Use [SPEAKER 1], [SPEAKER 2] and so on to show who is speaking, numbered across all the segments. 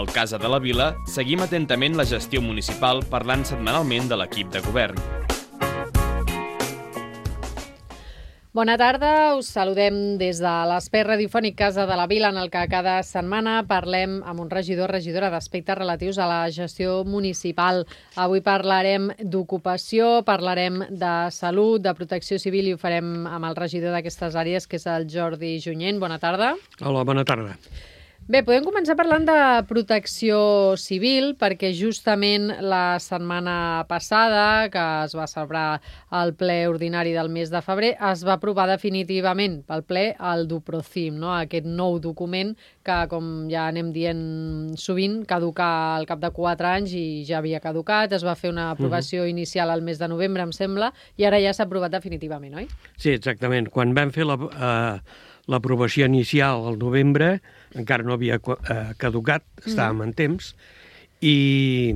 [SPEAKER 1] Al Casa de la Vila seguim atentament la gestió municipal parlant setmanalment de l'equip de govern.
[SPEAKER 2] Bona tarda, us saludem des de l'espai radiofònic Casa de la Vila, en el que cada setmana parlem amb un regidor o regidora d'aspectes relatius a la gestió municipal. Avui parlarem d'ocupació, parlarem de salut, de protecció civil i ho farem amb el regidor d'aquestes àrees, que és el Jordi Junyent. Bona tarda.
[SPEAKER 3] Hola, bona tarda.
[SPEAKER 2] Bé, podem començar parlant de protecció civil, perquè justament la setmana passada, que es va celebrar el ple ordinari del mes de febrer, es va aprovar definitivament pel ple el DUPROCIM, no? Aquest nou document que, com ja anem dient sovint, caduca al cap de 4 anys i ja havia caducat. Es va fer una aprovació inicial al mes de novembre, em sembla, i ara ja s'ha aprovat definitivament, oi?
[SPEAKER 3] Sí, exactament. Quan vam fer l'aprovació inicial al novembre, encara no havia caducat, estàvem en temps, i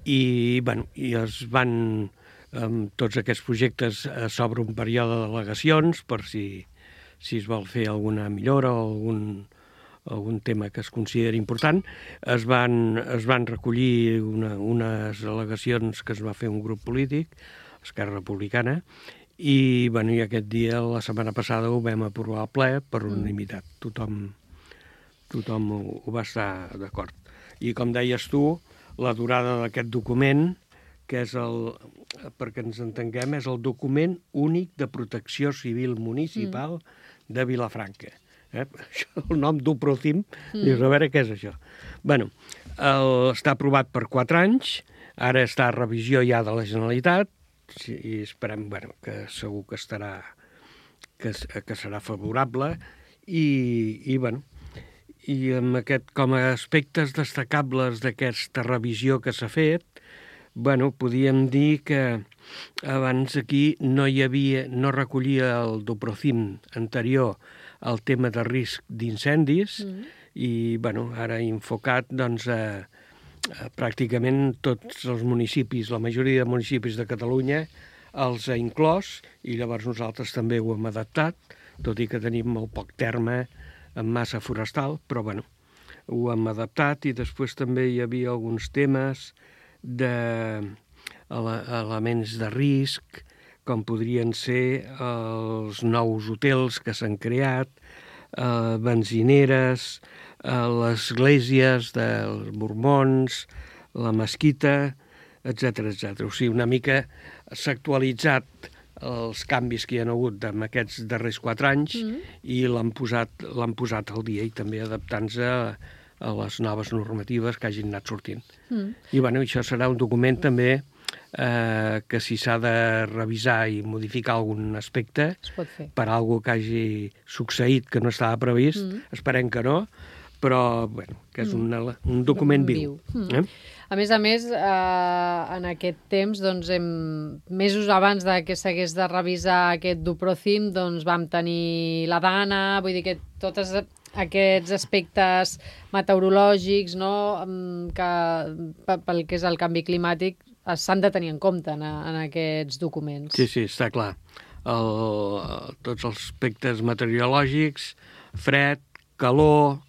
[SPEAKER 3] es van, tots aquests projectes, s'obre un període de delegacions per si es vol fer alguna millora o algun tema que es consideri important. Es van recollir unes al·legacions que es va fer un grup polític, Esquerra Republicana, i aquest dia, la setmana passada, ho vam aprovar al ple per unanimitat. Tothom ho va estar d'acord. I com deies tu, la durada d'aquest document, que és perquè ens entenguem, és el document únic de protecció civil municipal de Vilafranca. El nom DUPROCIM, dius, a veure què és això. Està aprovat per 4 anys, ara està a revisió ja de la Generalitat, i esperem que segur que serà favorable, i amb com a aspectes destacables d'aquesta revisió que s'ha fet, podíem dir que abans aquí no recollia el DUPROCIM anterior el tema de risc d'incendis, i ara enfocat pràcticament tots els municipis, la majoria de municipis de Catalunya els ha inclòs, i llavors nosaltres també ho hem adaptat, tot i que tenim molt poc terme en massa forestal, però ho hem adaptat. I després també hi havia alguns temes d'elements de risc, com podrien ser els nous hotels que s'han creat, benzineres, les esglésies dels mormons, la mesquita, etc. O sigui, una mica s'ha actualitzat els canvis que hi ha hagut en aquests darrers 4 anys i l'han posat al dia, i també adaptant-se a les noves normatives que hagin anat sortint. I això serà un document també que si s'ha de revisar i modificar algun aspecte per alguna que hagi succeït que no estava previst, esperem que no, però que és un document viu.
[SPEAKER 2] A més, en aquest temps, mesos abans que s'hagués de revisar aquest DUPROCIM, vam tenir la Dana, vull dir que tots aquests aspectes meteorològics, que pel que és el canvi climàtic, s'han de tenir en compte en aquests documents.
[SPEAKER 3] Sí, està clar. Tots els aspectes meteorològics, fred, calor,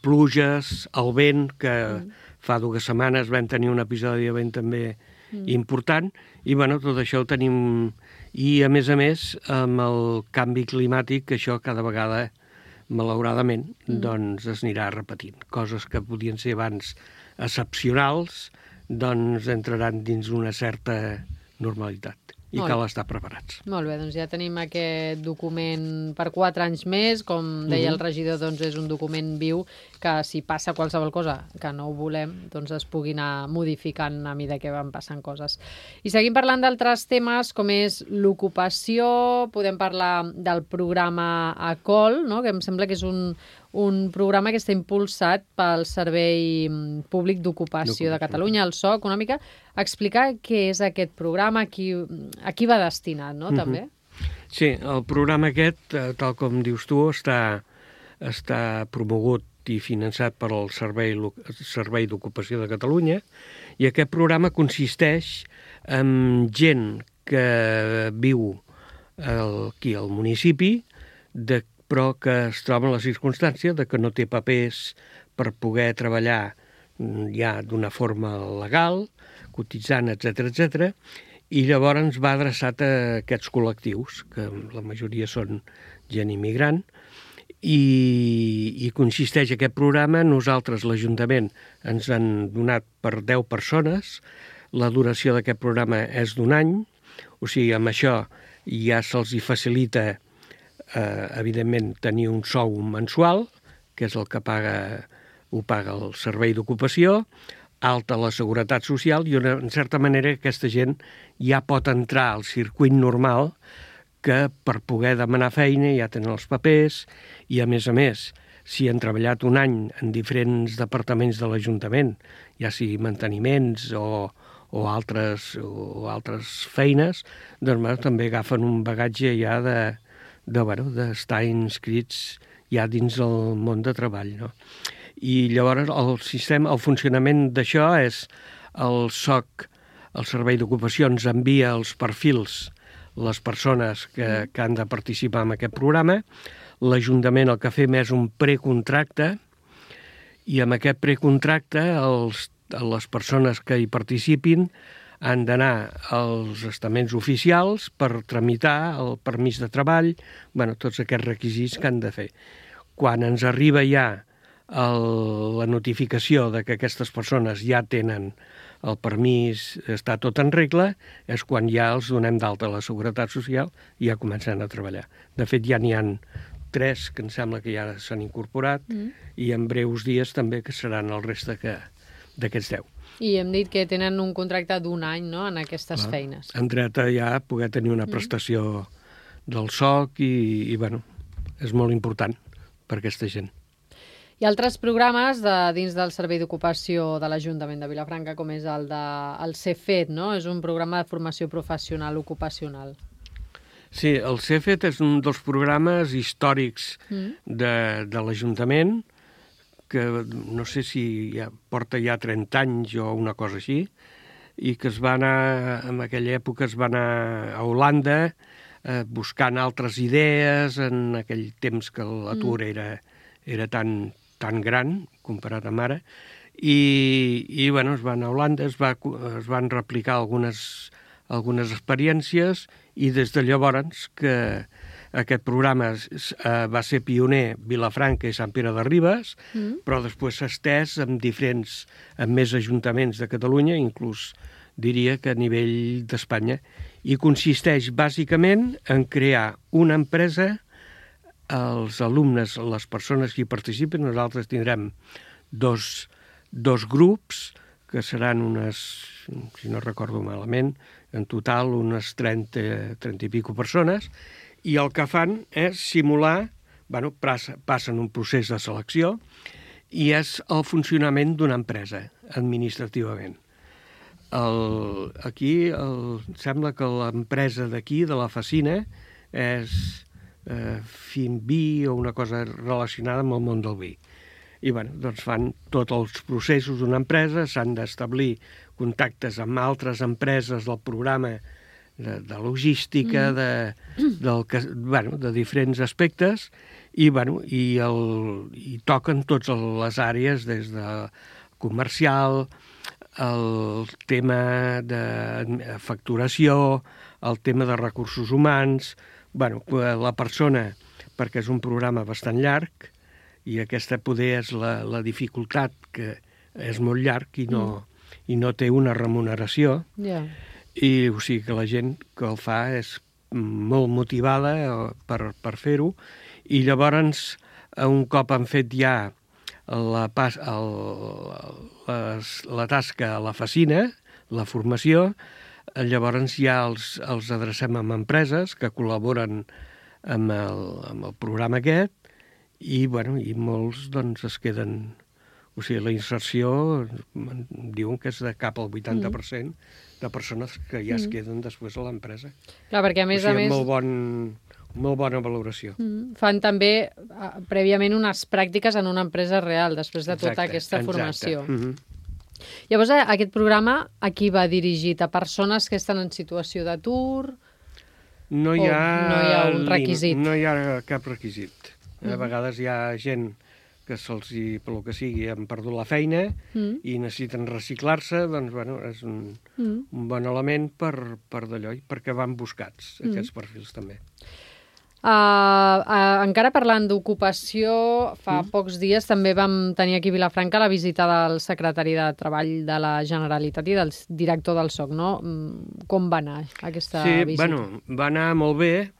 [SPEAKER 3] pluges, el vent, que fa 2 setmanes vam tenir un episodi de vent també important, i tot això ho tenim. I a més, amb el canvi climàtic, això cada vegada, malauradament, es anirà repetint. Coses que podien ser abans excepcionals, entraran dins una certa normalitat. I cal estar preparats.
[SPEAKER 2] Molt bé, ja tenim aquest document per 4 anys més. Com deia el regidor, és un document viu que si passa qualsevol cosa que no ho volem, es pugui anar modificant a mesura que van passant coses. I seguim parlant d'altres temes, com és l'ocupació. Podem parlar del programa ACOL, que em sembla que és un programa que està impulsat pel Servei Públic d'Ocupació de Catalunya, el SOC, una mica explicar què és aquest programa, a qui va destinat, també?
[SPEAKER 3] Sí, el programa aquest, tal com dius tu, està promogut i finançat per al Servei d'Ocupació de Catalunya, i aquest programa consisteix en gent que viu aquí al municipi, però que es troba en la circumstància de que no té papers per poder treballar ja d'una forma legal, cotitzant, etc. I llavors va adreçat a aquests col·lectius, que la majoria són gent immigrant, i consisteix aquest programa. Nosaltres, l'Ajuntament, ens han donat per 10 persones. La duració d'aquest programa és d'1 any, o sigui, amb això ja se'ls facilita, evidentment, tenir un sou mensual, que és el que ho paga el Servei d'Ocupació, alta la Seguretat Social, i en certa manera aquesta gent ja pot entrar al circuit normal, que per poder demanar feina ja tenen els papers, i a més, si han treballat 1 any en diferents departaments de l'Ajuntament, ja sigui manteniments o altres feines, doncs també agafen un bagatge ja d'estar inscrits ja dins el món de treball, no? I llavors el funcionament d'això és el SOC, el Servei d'Ocupació, ens envia els perfils, les persones que han de participar en aquest programa. L'Ajuntament el que fem és un precontracte, i amb aquest precontracte les persones que hi participin han d'anar als estaments oficials per tramitar el permís de treball, tots aquests requisits que han de fer. Quan ens arriba ja la notificació de que aquestes persones ja tenen el permís, està tot en regla, és quan ja els donem d'alta a la Seguretat Social i ja comencen a treballar. De fet, ja n'hi ha 3 que em sembla que ja s'han incorporat, i en breus dies també que seran el reste d'aquests 10.
[SPEAKER 2] I hem dit que tenen un contracte d'1 any, no?, en aquestes feines.
[SPEAKER 3] En dret a ja poder tenir una prestació del SOC i és molt important per aquesta gent.
[SPEAKER 2] Hi ha altres programes dins del Servei d'Ocupació de l'Ajuntament de Vilafranca, com és el CEFET, no? És un programa de formació professional ocupacional.
[SPEAKER 3] Sí, el CEFET és un dels programes històrics de l'Ajuntament, que no sé si porta ja 30 anys o una cosa així, i que en aquella època es va anar a Holanda buscant altres idees, en aquell temps que l'atur era tan gran comparat amb ara, i es van a Holanda, es van replicar algunes experiències, i des de llavors que aquest programa va ser pioner Vilafranca i Sant Pere de Ribes, però després s'ha estès en més ajuntaments de Catalunya, inclús diria que a nivell d'Espanya, i consisteix bàsicament en crear una empresa. Els alumnes, les persones que hi participen, nosaltres tindrem dos grups, que seran si no recordo malament, en total unes 30 i pico persones, i el que fan és simular, passen un procés de selecció, i és el funcionament d'una empresa, administrativament. Aquí sembla que l'empresa d'aquí, de la Facina, és Finvi o una cosa relacionada amb el món del vi. I fan tots els processos d'una empresa, s'han d'establir contactes amb altres empreses del programa de logística, de diferents aspectes, i toquen totes les àrees, des de comercial, el tema de facturació, el tema de recursos humans. La persona, perquè és un programa bastant llarg, i aquesta poder és la dificultat, que és molt llarg i no té una remuneració, i o sigui que la gent que el fa és molt motivada per fer-ho, i llavors, un cop han fet ja la tasca a la Facina, la formació, llavors ja els adrecem a empreses que col·laboren amb el programa aquest, i molts es queden. O sigui, la inserció diuen que és de cap al 80% de persones que ja es queden després a l'empresa.
[SPEAKER 2] Clar, perquè a més a més...
[SPEAKER 3] Molt bona valoració.
[SPEAKER 2] Fan també prèviament unes pràctiques en una empresa real, després de tota aquesta formació. Llavors, aquest programa a qui va dirigit? A persones que estan en situació d'atur?
[SPEAKER 3] No hi ha
[SPEAKER 2] un requisit?
[SPEAKER 3] No hi ha cap requisit. A vegades hi ha gent que se'ls, pel que sigui, han perdut la feina i necessiten reciclar-se, doncs, bueno, és un bon element per d'allò, perquè van buscats, aquests perfils també.
[SPEAKER 2] Encara parlant d'ocupació, fa pocs dies també vam tenir aquí a Vilafranca la visita del secretari de Treball de la Generalitat i del director del SOC, no? Com va anar aquesta visita?
[SPEAKER 3] Sí, bueno, va anar molt bé.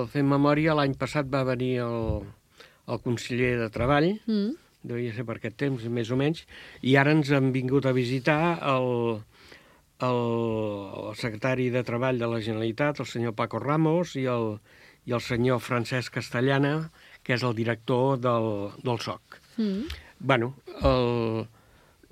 [SPEAKER 3] Fent memòria, l'any passat va venir el conseller de Treball, devia ser per aquest temps, més o menys, i ara ens han vingut a visitar el secretari de Treball de la Generalitat, el senyor Paco Ramos, i el senyor Francesc Castellana, que és el director del SOC. Bueno,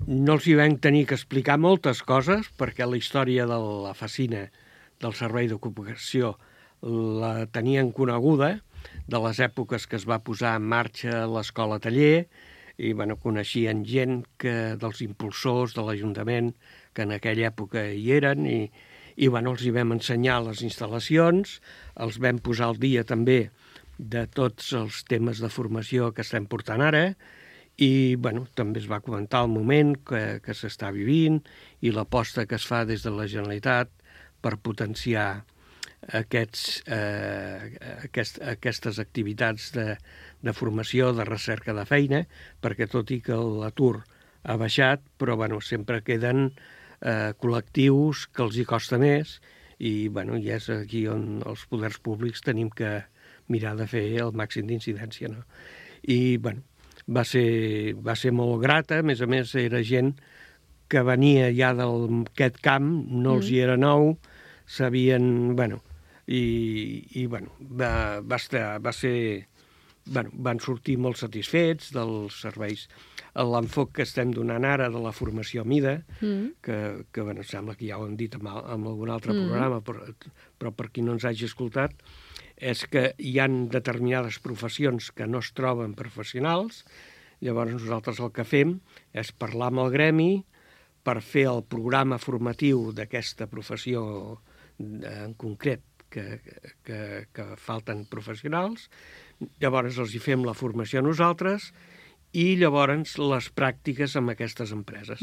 [SPEAKER 3] no els hi vam tenir que explicar moltes coses, perquè la història de la Facina, del Servei d'Ocupació, la tenien coneguda, de les èpoques que es va posar en marxa l'escola taller, i bueno, coneixien gent dels impulsors de l'Ajuntament que en aquella època hi eren, i bueno, els hi vam ensenyar les instal·lacions, els vam posar al dia també de tots els temes de formació que estem portant ara, i bueno, també es va comentar el moment que s'està vivint i l'aposta que es fa des de la Generalitat per potenciar aquestes activitats de formació, de recerca de feina, perquè tot i que l'atur ha baixat, però bueno, sempre queden col·lectius que els hi costa més, i bueno, i és aquí on els poders públics tenim que mirar de fer el màxim d'incidència, no? I bueno, va ser molt grata, a més era gent que venia ja d'aquest camp, no els hi era nou, sabien, bueno, i bueno, van sortir molt satisfets dels serveis. L'enfoc que estem donant ara de la formació a mida, que bueno, sembla que ja ho hem dit en algun altre programa, però per qui no ens hagi escoltat, és que hi ha determinades professions que no es troben professionals, llavors nosaltres el que fem és parlar amb el gremi per fer el programa formatiu d'aquesta professió en concret, que falten professionals, llavors els hi fem la formació a nosaltres i llavors les pràctiques amb aquestes empreses.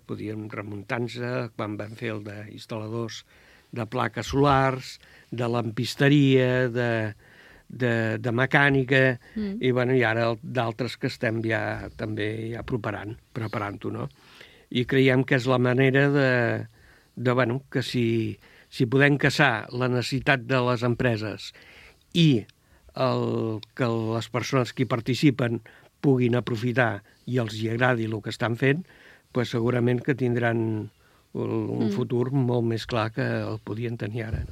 [SPEAKER 3] Podíem remuntar-nos quan vam fer el d'instal·ladors de plaques solars, de lampisteria, de mecànica, i bueno, i ara d'altres que estem ja també preparant-ho, no? I creiem que és la manera bueno, que si podem casar la necessitat de les empreses i que les persones que hi participen puguin aprofitar i els hi agradi el que estan fent, doncs segurament que tindran un futur molt més clar que el podien tenir ara.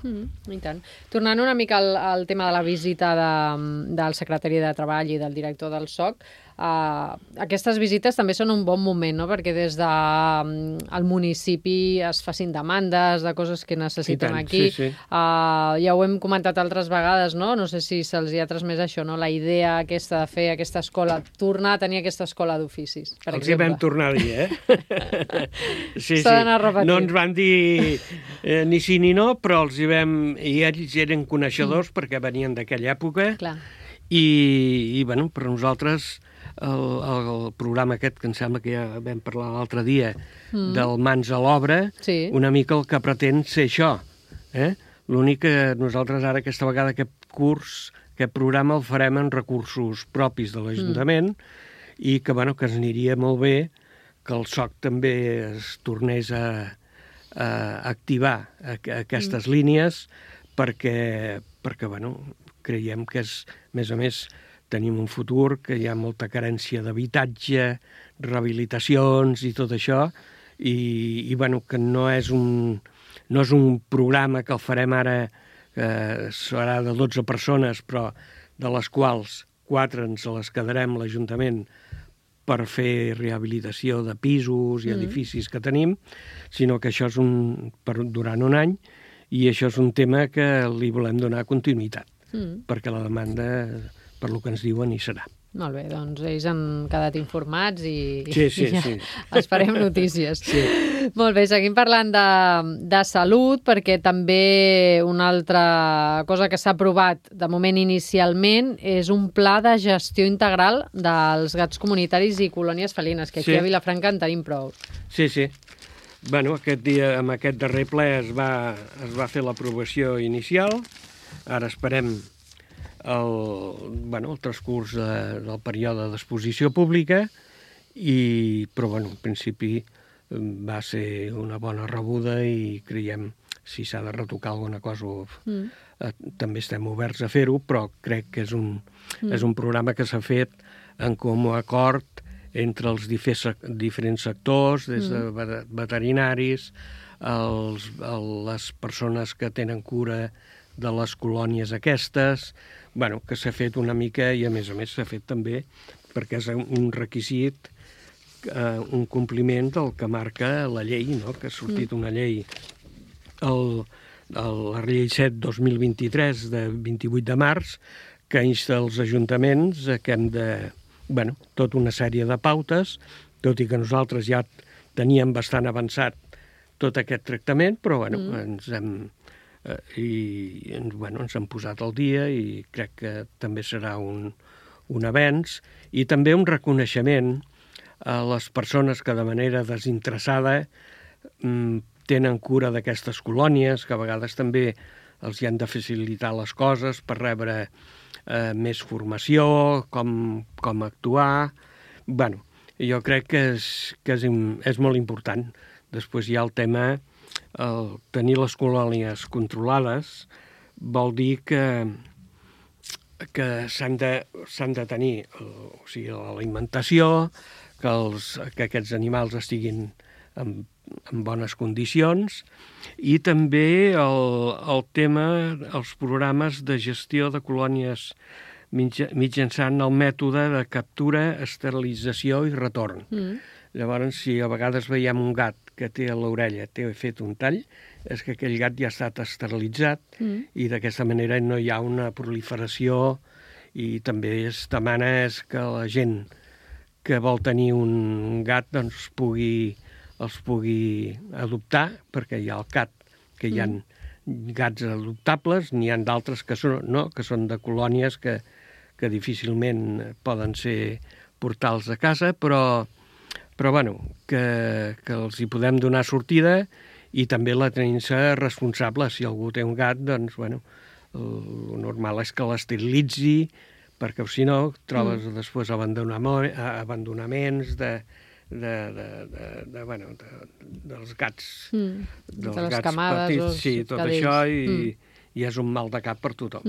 [SPEAKER 2] I tant. Tornant una mica al tema de la visita del secretari de Treball i del director del SOC, aquestes visites també són un bon moment, no? Perquè des del municipi es facin demandes de coses que necessiten aquí.
[SPEAKER 3] Sí.
[SPEAKER 2] Ja ho hem comentat altres vegades, no? No sé si se'ls hi ha transmès això, no? La idea aquesta de fer aquesta escola, tornar a tenir aquesta escola d'oficis, per exemple.
[SPEAKER 3] Els hi vam tornar a dir, Sí.
[SPEAKER 2] S'ha d'anar repetint.
[SPEAKER 3] No ens van dir ni sí ni no, però els hi vam... I ells eren coneixedors perquè venien d'aquella època.
[SPEAKER 2] Clar.
[SPEAKER 3] I bueno, per nosaltres el programa aquest, que em sembla que ja vam parlar l'altre dia, del Mans a l'Obra,
[SPEAKER 2] sí,
[SPEAKER 3] una mica el que pretén ser això. L'únic que nosaltres ara, aquesta vegada, aquest curs, aquest programa el farem en recursos propis de l'Ajuntament i que, bueno, que ens aniria molt bé que el SOC també es tornés a activar aquestes línies perquè bueno, creiem que és, a més, tenim un futur que hi ha molta carència d'habitatge, rehabilitacions i tot això, i bueno, que no és un programa que el farem ara, serà de 12 persones, però de les quals 4 ens les quedarem l'Ajuntament per fer rehabilitació de pisos i edificis que tenim, sinó que això és durant un any, i això és un tema que li volem donar continuïtat, perquè la demanda, per lo que ens diuen, hi serà.
[SPEAKER 2] Molt bé, doncs ells han quedat informats i
[SPEAKER 3] Sí.
[SPEAKER 2] esperem notícies.
[SPEAKER 3] Sí.
[SPEAKER 2] Molt bé, seguim parlant de salut, perquè també una altra cosa que s'ha aprovat de moment inicialment és un pla de gestió integral dels gats comunitaris i colònies felines, que aquí a Vilafranca en tenim prou.
[SPEAKER 3] Sí. Bueno, amb aquest darrer ple es va fer l'aprovació inicial. Ara esperem el transcurs del període d'exposició pública, però en principi va ser una bona rebuda i creiem si s'ha de retocar alguna cosa també estem oberts a fer-ho, però crec que és un programa que s'ha fet en comú acord entre els diferents sectors, des de veterinaris, les persones que tenen cura de les colònies aquestes, que s'ha fet una mica i a més s'ha fet també perquè és un requisit, un compliment del que marca la llei, no? Que ha sortit una llei, la llei 7/2023 de 28 de març, que insta els ajuntaments que hem de, tota una sèrie de pautes, tot i que nosaltres ja teníem bastant avançat tot aquest tractament, però ens hem posat al dia i crec que també serà un avenç i també un reconeixement a les persones que de manera desinteressada tenen cura d'aquestes colònies, que a vegades també els hi han de facilitar les coses per rebre més formació, com actuar. Jo crec que és molt important. Després hi ha el tema, tenir les colònies controlades vol dir que s'han de tenir l'alimentació, que aquests animals estiguin en bones condicions i també el tema, els programes de gestió de colònies mitjançant el mètode de captura, esterilització i retorn. Llavors, si a vegades veiem un gat que té a l'orella, té fet un tall, és que aquell gat ja ha estat esterilitzat i d'aquesta manera no hi ha una proliferació i també es demana que la gent que vol tenir un gat els pugui adoptar, perquè hi ha el cat, que hi ha gats adoptables, n'hi ha d'altres que són de colònies que difícilment poden ser portals a casa, però que els hi podem donar sortida i també la tenim-se responsable. Si algú té un gat, doncs, el normal és que l'esterilitzi, perquè si no trobes després abandonaments dels gats,
[SPEAKER 2] de les camades,
[SPEAKER 3] petits, sí, tot això, i és un mal de cap per tothom.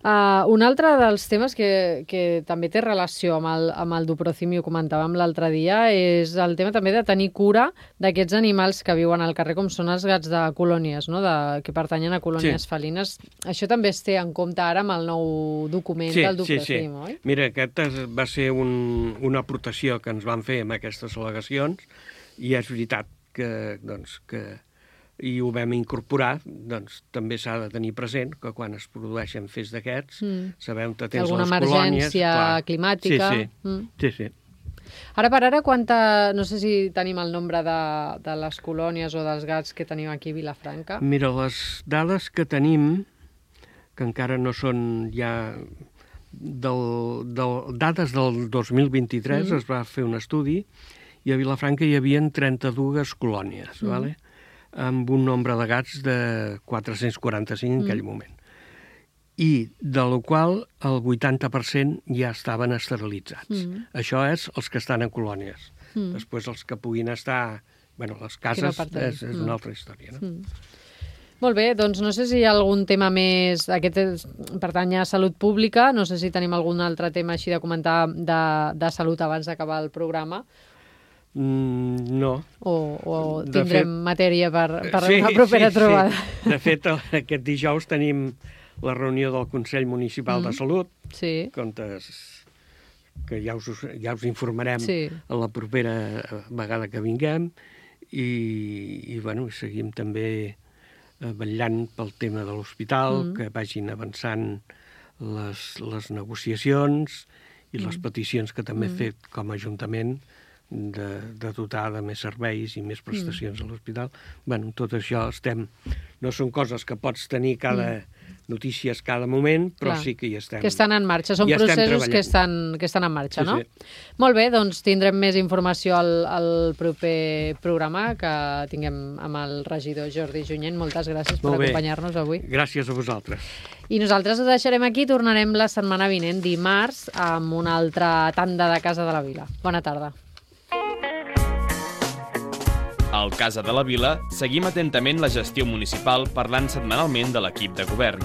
[SPEAKER 2] Un altre dels temes que també té relació amb el Duprocim, i ho comentàvem l'altre dia, és el tema també de tenir cura d'aquests animals que viuen al carrer, com són els gats de colònies, no? Que pertanyen a colònies felines. Això també es té en compte ara amb el nou document del Duprocim, oi?
[SPEAKER 3] Mira, aquest va ser una aportació que ens van fer amb aquestes al·legacions i és veritat que i ho vam incorporar, doncs també s'ha de tenir present que quan es produeixen fets d'aquests sabem que tens les colònies...
[SPEAKER 2] Alguna emergència climàtica...
[SPEAKER 3] Sí.
[SPEAKER 2] Ara per ara, no sé si tenim el nombre de les colònies o dels gats que tenim aquí a Vilafranca.
[SPEAKER 3] Mira, les dades que tenim, que encara no són ja... dades del 2023 es va fer un estudi i a Vilafranca hi havia 32 colònies, d'acord? Amb un nombre de gats de 445 en aquell moment. I de la qual el 80% ja estaven esterilitzats. Això és els que estan en colònies. Després els que puguin estar... les cases és una altra història, no?
[SPEAKER 2] Molt bé, doncs no sé si hi ha algun tema més... Aquest pertany a salut pública, no sé si tenim algun altre tema així de comentar de salut abans d'acabar el programa.
[SPEAKER 3] No.
[SPEAKER 2] O tindrem matèria per una propera trobada.
[SPEAKER 3] Sí. De fet, aquest dijous tenim la reunió del Consell Municipal de Salut, que ja us informarem a la propera vegada que vinguem, i seguim també vetllant pel tema de l'hospital, que vagin avançant les negociacions i les peticions que també he fet com a Ajuntament de dotar de més serveis i més prestacions a l'hospital. Bueno, tot això no són coses que pots tenir notícies cada moment, però sí que hi estem.
[SPEAKER 2] Que estan en marxa, són processos que estan en marxa, no? Molt bé, doncs tindrem més informació al proper programa que tinguem amb el regidor Jordi Junyent. Moltes gràcies per acompanyar-nos avui.
[SPEAKER 3] Gràcies a vosaltres.
[SPEAKER 2] I nosaltres ho deixarem aquí, tornarem la setmana vinent, dimarts, amb una altra tanda de Casa de la Vila. Bona tarda.
[SPEAKER 1] Al Casa de la Vila seguim atentament la gestió municipal parlant setmanalment de l'equip de govern.